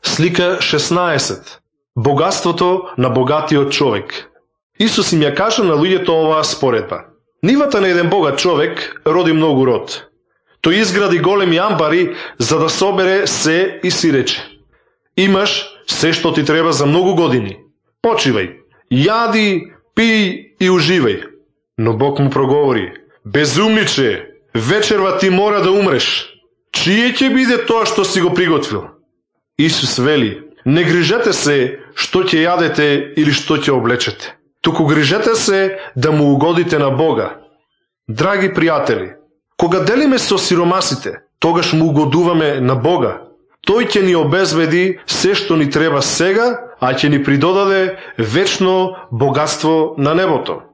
Слика 16. Богатството на богатиот човек. Исус им ја кажа на луѓето оваа споредба. Нивата на еден богат човек роди многу род. Тој изгради големи амбари за да собере се и си рече: имаш се што ти треба за многу години. Почивај, јади, пиј и уживај. Но Бог му проговори: безумниче, вечерва ти мора да умреш. Чие ќе биде тоа што си го приготвил? Исус вели: не грижете се што ќе јадете или што ќе облечете. Туку грижете се да му угодите на Бога. Драги пријатели, кога делиме со сиромасите, тогаш му угодуваме на Бога. Тој ќе ни обезбеди се што ни треба сега, а ќе ни придодаде вечно богатство на небото.